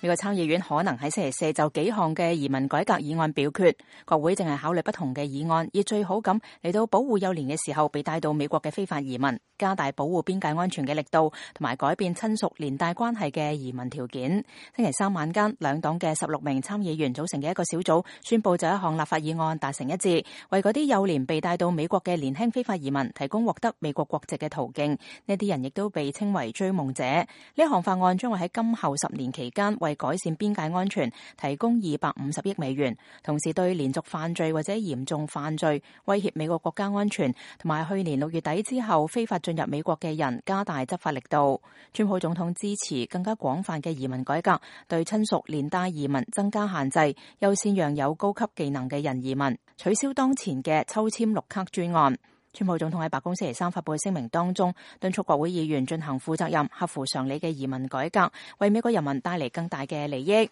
美國參議院可能喺星期四就幾項嘅移民改革議案表決，國會正係考慮不同嘅議案，以最好咁嚟到保護幼年嘅時候被帶到美國嘅非法移民，加大保護邊界安全嘅力度，同埋改變親屬連帶關係嘅移民條件。星期三晚間，兩黨嘅16名參議員組成嘅一個小組宣布就一項立法議案達成一致，為嗰啲幼年被帶到美國嘅年輕非法移民提供獲得美國國籍嘅途徑。呢啲人亦都被稱為追夢者。呢項法案將會喺今後10年期間為改善邊界安全提供250億美元，同時對連續犯罪或者嚴重犯罪威脅美國國家安全同埋去年6月底之後非法進入美國嘅人加大執法力度。川普總統支持更加廣泛嘅移民改革，對親屬連帶移民增加限制，優先讓有高級技能嘅人移民，取消當前嘅抽籤綠卡專案。川普總統喺白宮星期三發佈嘅聲明當中，敦促國會議員進行負責任、合乎常理嘅移民改革，為美國人民帶嚟更大嘅利益。